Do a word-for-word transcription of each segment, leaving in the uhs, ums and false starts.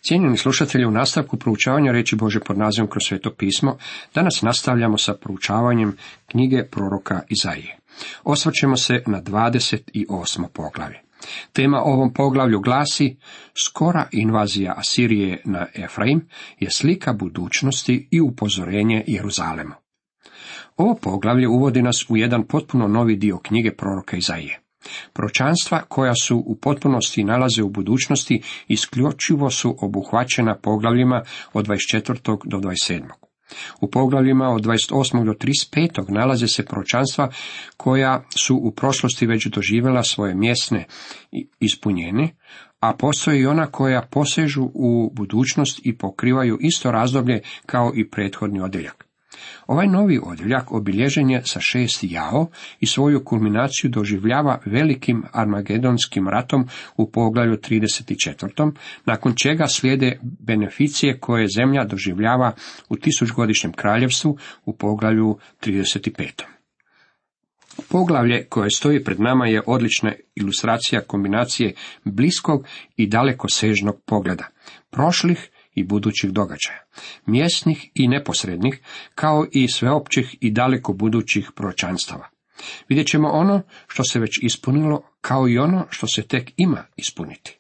Cijenjeni slušatelji, u nastavku proučavanja riječi Božje pod nazivom Kroz sveto pismo, danas nastavljamo sa proučavanjem knjige proroka Izaije. Osvrćemo se na dvadeset osmo poglavlje. Tema ovom poglavlju glasi: skora invazija Asirije na Efraim je slika budućnosti i upozorenje Jeruzalemu. Ovo poglavlje uvodi nas u jedan potpuno novi dio knjige proroka Izaije. Proročanstva koja su u potpunosti nalaze u budućnosti isključivo su obuhvaćena poglavljima od dvadeset četvrtog do dvadeset sedmog. U poglavljima od dvadeset osmog do trideset petog nalaze se proročanstva koja su u prošlosti već doživjela svoje mjesne ispunjenje, a postoje i ona koja posežu u budućnost i pokrivaju isto razdoblje kao i prethodni odjeljak. Ovaj novi odjeljak obilježen je sa šest jao i svoju kulminaciju doživljava velikim armagedonskim ratom u poglavlju trideset četvrtom, nakon čega slijede beneficije koje zemlja doživljava u tisućgodišnjem kraljevstvu u poglavlju trideset petom. Poglavlje koje stoji pred nama je odlična ilustracija kombinacije bliskog i dalekosežnog pogleda, prošlih i budućih događaja, mjesnih i neposrednih, kao i sveopćih i daleko budućih proročanstava. Vidjet ćemo ono što se već ispunilo, kao i ono što se tek ima ispuniti.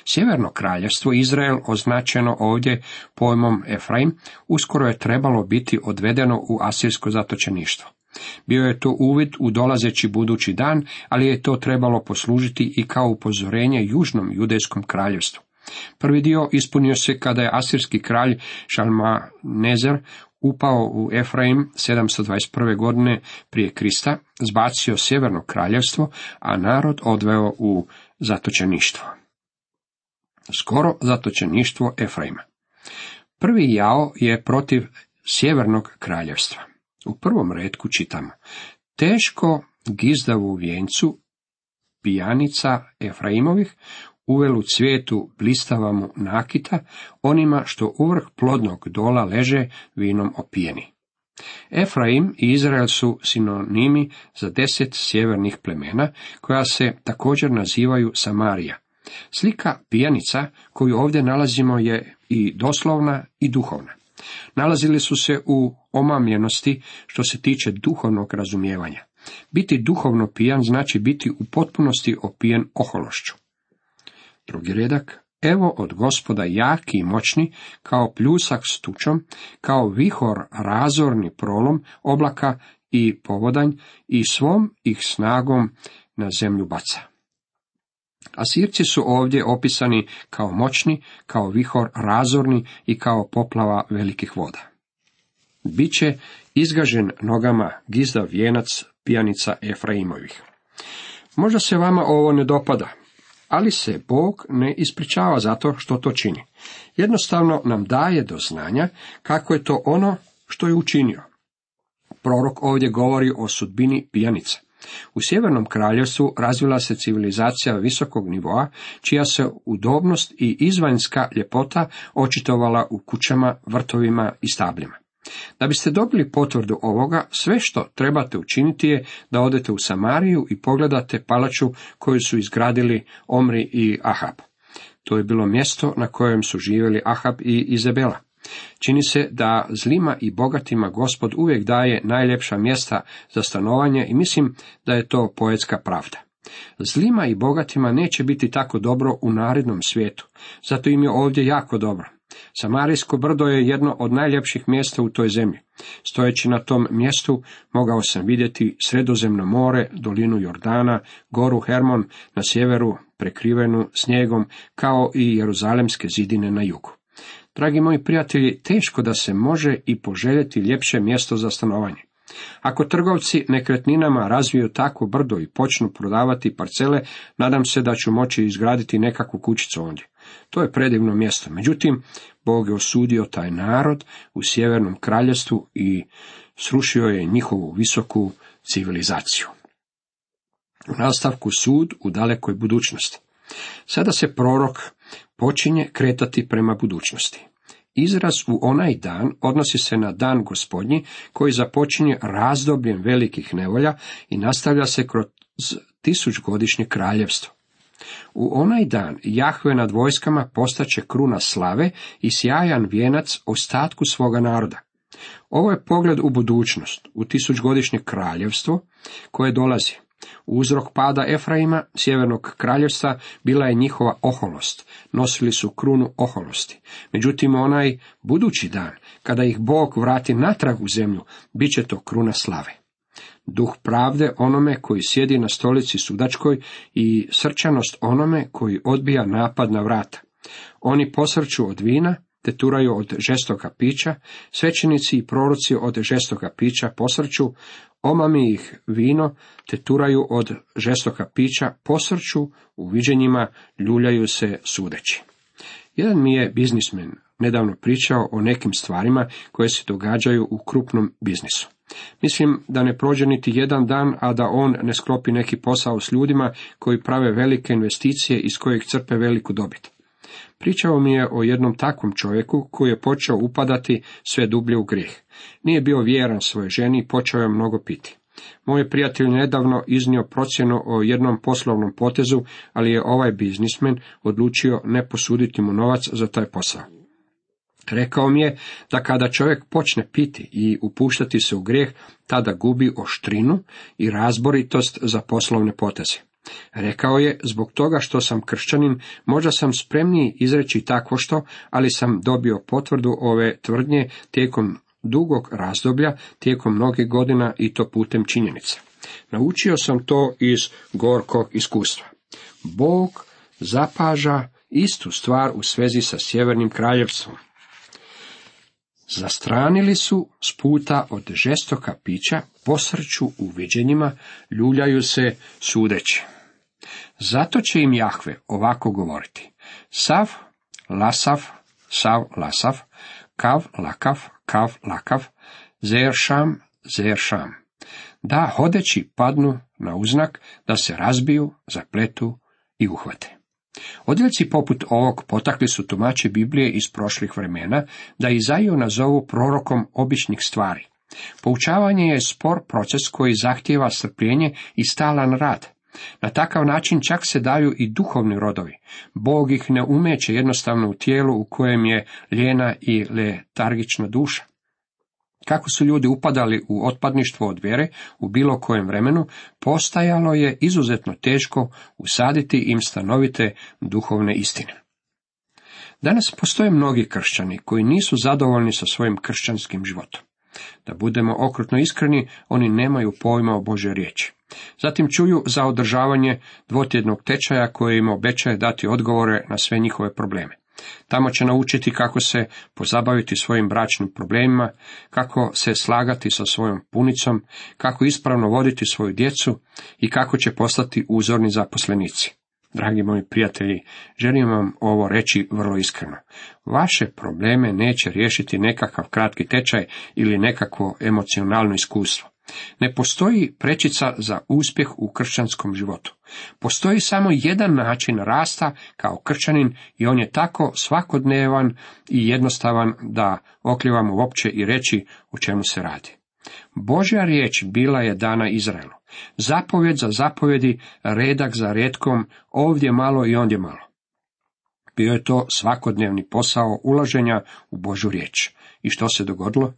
Sjeverno kraljevstvo Izrael, označeno ovdje pojmom Efraim, uskoro je trebalo biti odvedeno u asirsko zatočeništvo. Bio je to uvid u dolazeći budući dan, ali je to trebalo poslužiti i kao upozorenje južnom judejskom kraljevstvu. Prvi dio ispunio se kada je asirski kralj Šalmanezer upao u Efraim sedamsto dvadeset prve godine prije Krista, zbacio sjeverno kraljevstvo, a narod odveo u zatočeništvo. Skoro zatočeništvo Efraima. Prvi jao je protiv sjevernog kraljevstva. U prvom retku čitamo: teško gizdavu vjencu pijanica Efraimovih, uvelu cvijetu blistava mu nakita, onima što uvrh plodnog dola leže vinom opijeni. Efraim i Izrael su sinonimi za deset sjevernih plemena, koja se također nazivaju Samarija. Slika pijanica koju ovdje nalazimo je i doslovna i duhovna. Nalazili su se u omamljenosti što se tiče duhovnog razumijevanja. Biti duhovno pijan znači biti u potpunosti opijen ohološću. Drugi redak: evo od Gospoda jaki i moćni, kao pljusak s tučom, kao vihor razorni prolom oblaka i povodanj, i svom ih snagom na zemlju baca. Asirci su ovdje opisani kao moćni, kao vihor razorni i kao poplava velikih voda. Biće izgažen nogama gizdav vijenac pijanica Efraimovih. Možda se vama ovo ne dopada, ali se Bog ne ispričava zato što to čini. Jednostavno nam daje do znanja kako je to ono što je učinio. Prorok ovdje govori o sudbini pijanica. U sjevernom kraljevstvu razvila se civilizacija visokog nivoa, čija se udobnost i izvanjska ljepota očitovala u kućama, vrtovima i stabljima. Da biste dobili potvrdu ovoga, sve što trebate učiniti je da odete u Samariju i pogledate palaču koju su izgradili Omri i Ahab. To je bilo mjesto na kojem su živjeli Ahab i Izabela. Čini se da zlima i bogatima Gospod uvijek daje najljepša mjesta za stanovanje i mislim da je to poetska pravda. Zlima i bogatima neće biti tako dobro u narednom svijetu, zato im je ovdje jako dobro. Samarijsko brdo je jedno od najljepših mjesta u toj zemlji. Stojeći na tom mjestu mogao sam vidjeti Sredozemno more, dolinu Jordana, goru Hermon na sjeveru prekrivenu snijegom, kao i jeruzalemske zidine na jugu. Dragi moji prijatelji, teško da se može i poželjeti ljepše mjesto za stanovanje. Ako trgovci nekretninama razviju takvo brdo i počnu prodavati parcele, nadam se da ću moći izgraditi nekakvu kućicu ondje. To je predivno mjesto. Međutim, Bog je osudio taj narod u sjevernom kraljevstvu i srušio je njihovu visoku civilizaciju. U nastavku sud u dalekoj budućnosti. Sada se prorok počinje kretati prema budućnosti. Izraz u onaj dan odnosi se na dan Gospodnji koji započinje razdobljem velikih nevolja i nastavlja se kroz tisućgodišnje kraljevstvo. U onaj dan Jahve nad vojskama postaće kruna slave i sjajan vijenac ostatku svoga naroda. Ovo je pogled u budućnost, u tisućgodišnje kraljevstvo koje dolazi. Uzrok pada Efraima, sjevernog kraljevstva, bila je njihova oholost. Nosili su krunu oholosti. Međutim, onaj budući dan, kada ih Bog vrati natrag u zemlju, bit će to kruna slave. Duh pravde onome koji sjedi na stolici sudačkoj i srčanost onome koji odbija napad na vrata. Oni posrću od vina, te turaju od žestoga pića, svećenici i proroci od žestoga pića posrću, omami ih vino, te turaju od žestoga pića, posrću, u viđenjima ljuljaju se sudeći. Jedan mi je biznismen nedavno pričao o nekim stvarima koje se događaju u krupnom biznisu. Mislim da ne prođe niti jedan dan, a da on ne sklopi neki posao s ljudima koji prave velike investicije iz kojih crpe veliku dobit. Pričao mi je o jednom takvom čovjeku koji je počeo upadati sve dublje u grijeh. Nije bio vjeran svojoj ženi i počeo je mnogo piti. Moj je prijatelj nedavno iznio procjenu o jednom poslovnom potezu, ali je ovaj biznismen odlučio ne posuditi mu novac za taj posao. Rekao mi je da kada čovjek počne piti i upuštati se u grijeh, tada gubi oštrinu i razboritost za poslovne poteze. Rekao je, zbog toga što sam kršćanin, možda sam spremniji izreći takvo što, ali sam dobio potvrdu ove tvrdnje tijekom dugog razdoblja, tijekom mnogih godina i to putem činjenica. Naučio sam to iz gorkog iskustva. Bog zapaža istu stvar u svezi sa sjevernim kraljevstvom. Zastranili su s puta od žestoka pića, posrću u viđenjima, ljuljaju se sudeći. Zato će im Jahve ovako govoriti: sav, lasav, sav, lasav, kav, lakav, kav, lakav, zeršam, zeršam. Da hodeći padnu na uznak, da se razbiju, zapletu i uhvate. Odjeljci poput ovog potakli su tumači Biblije iz prošlih vremena da Izaiju nazovu prorokom običnih stvari. Poučavanje je spor proces koji zahtijeva strpljenje i stalan rad. Na takav način čak se daju i duhovni rodovi. Bog ih ne umeće jednostavno u tijelu u kojem je lijena i letargična duša. Kako su ljudi upadali u otpadništvo od vjere u bilo kojem vremenu, postajalo je izuzetno teško usaditi im stanovite duhovne istine. Danas postoje mnogi kršćani koji nisu zadovoljni sa svojim kršćanskim životom. Da budemo okrutno iskreni, oni nemaju pojma o Božoj riječi. Zatim čuju za održavanje dvotjednog tečaja koje im obećaje dati odgovore na sve njihove probleme. Tamo će naučiti kako se pozabaviti svojim bračnim problemima, kako se slagati sa svojom punicom, kako ispravno voditi svoju djecu i kako će postati uzorni zaposlenici. Dragi moji prijatelji, želim vam ovo reći vrlo iskreno. Vaše probleme neće riješiti nekakav kratki tečaj ili nekakvo emocionalno iskustvo. Ne postoji prečica za uspjeh u kršćanskom životu. Postoji samo jedan način rasta kao kršćanin i on je tako svakodnevan i jednostavan da oklijevamo uopće i reći o čemu se radi. Božja riječ bila je dana Izraelu. Zapovjed za zapovjedi, redak za retkom, ovdje malo i ondje malo. Bio je to svakodnevni posao ulaženja u Božju riječ. I što se dogodilo?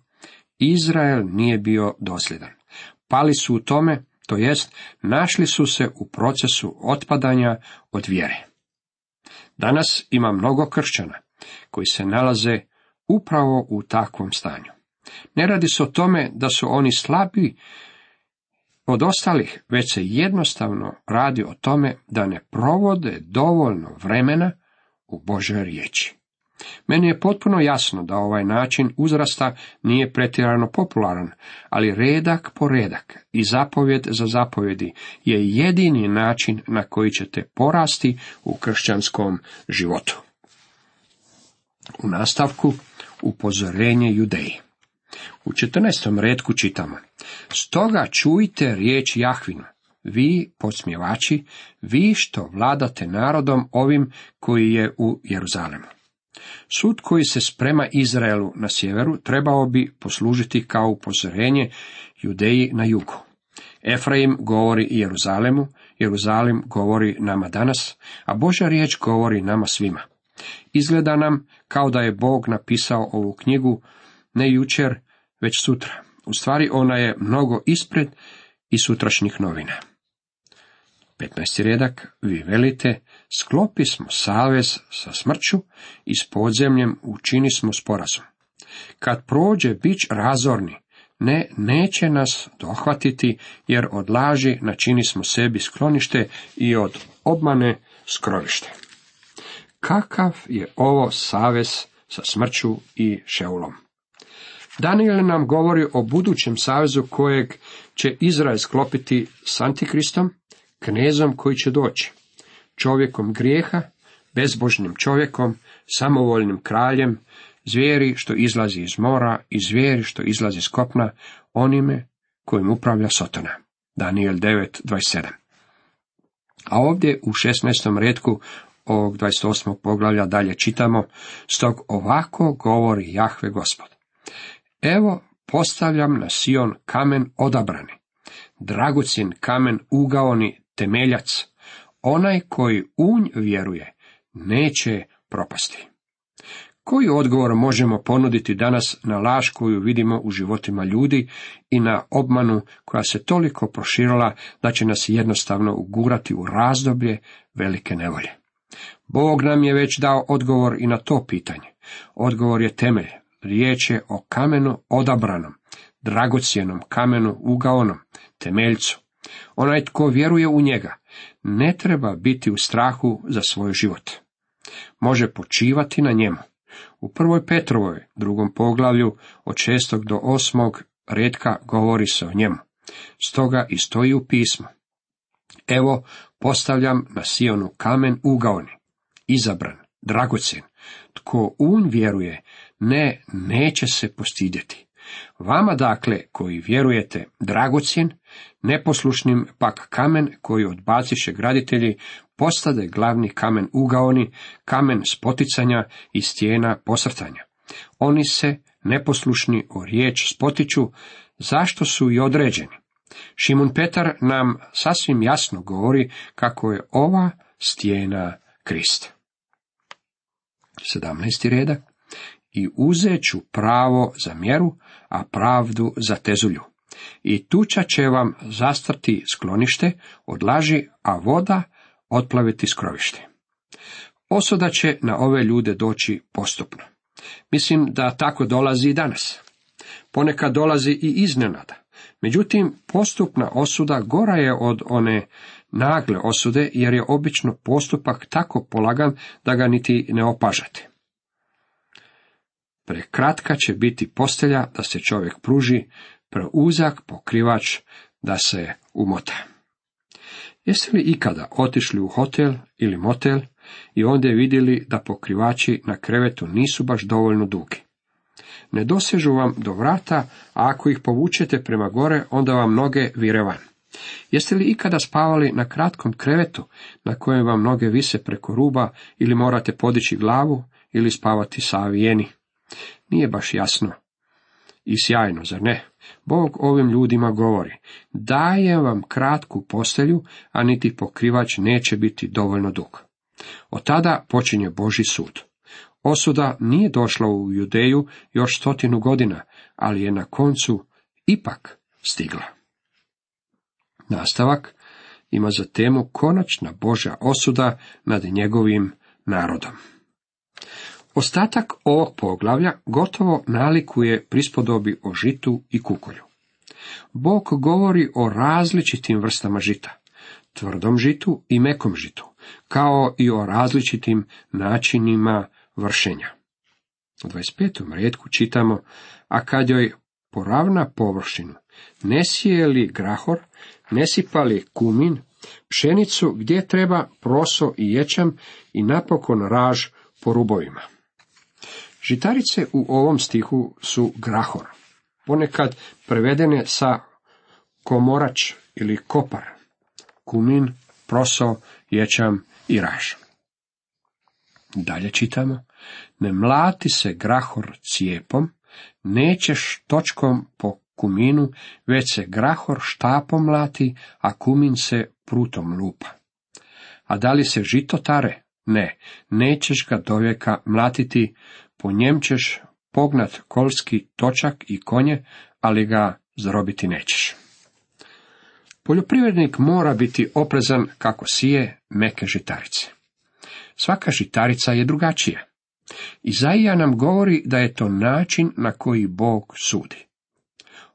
Izrael nije bio dosljedan. Pali su u tome, to jest našli su se u procesu otpadanja od vjere. Danas ima mnogo kršćana koji se nalaze upravo u takvom stanju. Ne radi se o tome da su oni slabiji od ostalih, već se jednostavno radi o tome da ne provode dovoljno vremena u Božoj riječi. Meni je potpuno jasno da ovaj način uzrasta nije pretjerano popularan, ali redak po redak i zapovjed za zapovjedi je jedini način na koji ćete porasti u kršćanskom životu. U nastavku upozorenje Judeji. U četrnaestom retku čitamo: stoga čujte riječ Jahvinu, vi podsmjevači, vi što vladate narodom ovim koji je u Jeruzalemu. Sud koji se sprema Izraelu na sjeveru trebao bi poslužiti kao upozorenje Judeji na jugu. Efraim govori Jeruzalemu, Jeruzalim govori nama danas, a Božja riječ govori nama svima. Izgleda nam kao da je Bog napisao ovu knjigu ne jučer, već sutra. U stvari ona je mnogo ispred i sutrašnjih novina. petnaesti redak, vi velite, sklopi smo savez sa smrću i s podzemljem učini smo sporazum. Kad prođe bič razorni, ne, neće nas dohvatiti, jer od laži načini smo sebi sklonište i od obmane skrovište. Kakav je ovo savez sa smrću i Šeulom? Daniel nam govori o budućem savezu kojeg će Izrael sklopiti s Antikristom, knezom koji će doći, čovjekom grijeha, bezbožnim čovjekom, samovoljnim kraljem, zvijeri što izlazi iz mora i zvijeri što izlazi iz kopna, onime kojim upravlja Sotona. Daniel devet dvadeset sedam. A ovdje u šesnaestom retku ovog dvadeset osmog poglavlja dalje čitamo, stog ovako govori Jahve Gospod. Evo postavljam na Sion kamen odabrani, dragocjen kamen ugaoni temeljac, onaj koji u nj vjeruje neće propasti. Koji odgovor možemo ponuditi danas na laž koju vidimo u životima ljudi i na obmanu koja se toliko proširila da će nas jednostavno ugurati u razdoblje velike nevolje? Bog nam je već dao odgovor i na to pitanje. Odgovor je temelj. Riječ je o kamenu odabranom, dragocjenom kamenu ugaonom, temeljcu. Onaj tko vjeruje u njega ne treba biti u strahu za svoj život. Može počivati na njemu. U prvoj Petrovoj, drugom poglavlju, od šestog do osmog retka govori se o njemu. Stoga i stoji u pismu. Evo, postavljam na Sionu kamen ugaoni, izabran, dragocjen. Tko u nj vjeruje, ne, neće se postidjeti. Vama dakle, koji vjerujete, dragocjen, neposlušnim pak kamen koji odbaciše graditelji, postade glavni kamen ugaoni, kamen spoticanja i stijena posrtanja. Oni se, neposlušni o riječ spotiču, zašto su i određeni. Šimun Petar nam sasvim jasno govori kako je ova stijena Krist. sedamnaesti redak. I uzet ću pravo za mjeru, a pravdu za tezulju. I tuča će vam zastrti sklonište od laži, a voda otplaviti skrovište. Osuda će na ove ljude doći postupno. Mislim da tako dolazi i danas. Ponekad dolazi i iznenada. Međutim, postupna osuda gora je od one nagle osude, jer je obično postupak tako polagan da ga niti ne opažate. Prekratka će biti postelja da se čovjek pruži, preuzak pokrivač da se umota. Jeste li ikada otišli u hotel ili motel i ondje vidjeli da pokrivači na krevetu nisu baš dovoljno dugi? Ne dosežu vam do vrata, a ako ih povučete prema gore, onda vam noge vire van. Jeste li ikada spavali na kratkom krevetu, na kojem vam noge vise preko ruba, ili morate podići glavu, ili spavati savijeni? Nije baš jasno i sjajno, zar ne? Bog ovim ljudima govori, dajem vam kratku postelju, a niti pokrivač neće biti dovoljno dug. Od tada počinje Božji sud. Osuda nije došla u Judeju još stotinu godina, ali je na koncu ipak stigla. Nastavak ima za temu konačna Božja osuda nad njegovim narodom. Ostatak ovog poglavlja gotovo nalikuje prispodobi o žitu i kukolju. Bog govori o različitim vrstama žita, tvrdom žitu i mekom žitu, kao i o različitim načinima vršenja. U dvadeset petom retku čitamo, a kad joj poravna površinu, ne sije li grahor, ne sipa li kumin, pšenicu gdje treba proso i ječam i napokon raž po rubovima. Žitarice u ovom stihu su grahor, ponekad prevedene sa komorač ili kopar, kumin, proso, ječam i raž. Dalje čitamo, ne mlati se grahor cijepom, nećeš točkom po kuminu, već se grahor štapom mlati, a kumin se prutom lupa. A da li se žito tare? Ne, nećeš ga dovijeka mlatiti, po njem ćeš pognat kolski točak i konje, ali ga zarobiti nećeš. Poljoprivrednik mora biti oprezan kako sije meke žitarice. Svaka žitarica je drugačija. Izaija nam govori da je to način na koji Bog sudi.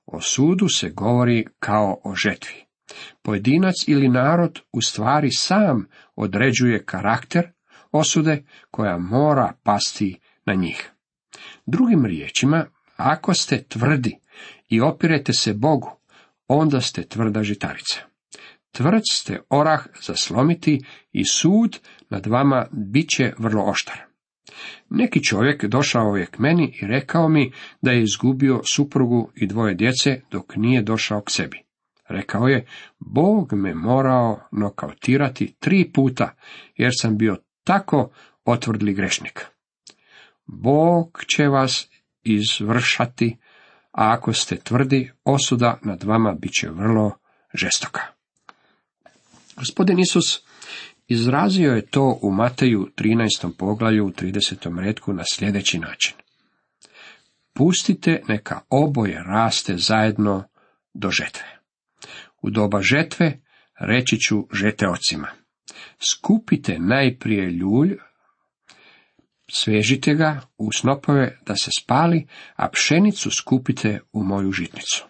O sudu se govori kao o žetvi. Pojedinac ili narod u stvari sam određuje karakter osude koja mora pasti na njih. Drugim riječima, ako ste tvrdi i opirete se Bogu, onda ste tvrda žitarica. Tvrd ste orah za slomiti i sud nad vama bit će vrlo oštar. Neki čovjek došao je k meni i rekao mi da je izgubio suprugu i dvoje djece dok nije došao k sebi. Rekao je, Bog me morao nokautirati tri puta, jer sam bio tako otvrdli grešnik. Bog će vas izvršati, a ako ste tvrdi, osuda nad vama bit će vrlo žestoka. Gospodin Isus izrazio je to u Mateju trinaestom poglavlju u tridesetom retku na sljedeći način. Pustite neka oboje raste zajedno do žetve. U doba žetve reći ću žeteocima. Skupite najprije ljulj, svežite ga u snopove da se spali, a pšenicu skupite u moju žitnicu.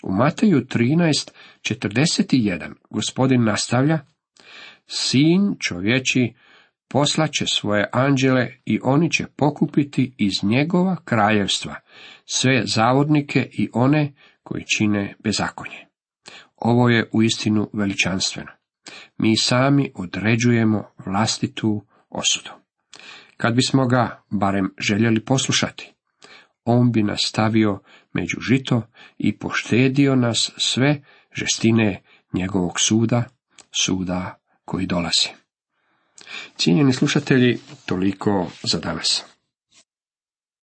U Mateju trinaest četrdeset jedan gospodin nastavlja, sin čovječi poslaće svoje anđele i oni će pokupiti iz njegova kraljevstva sve zavodnike i one koji čine bezakonje. Ovo je uistinu veličanstveno. Mi sami određujemo vlastitu osudu. Kad bismo ga barem željeli poslušati, on bi nas stavio među žito i poštedio nas sve žestine njegovog suda, suda koji dolazi. Cijenjeni slušatelji, toliko za danas.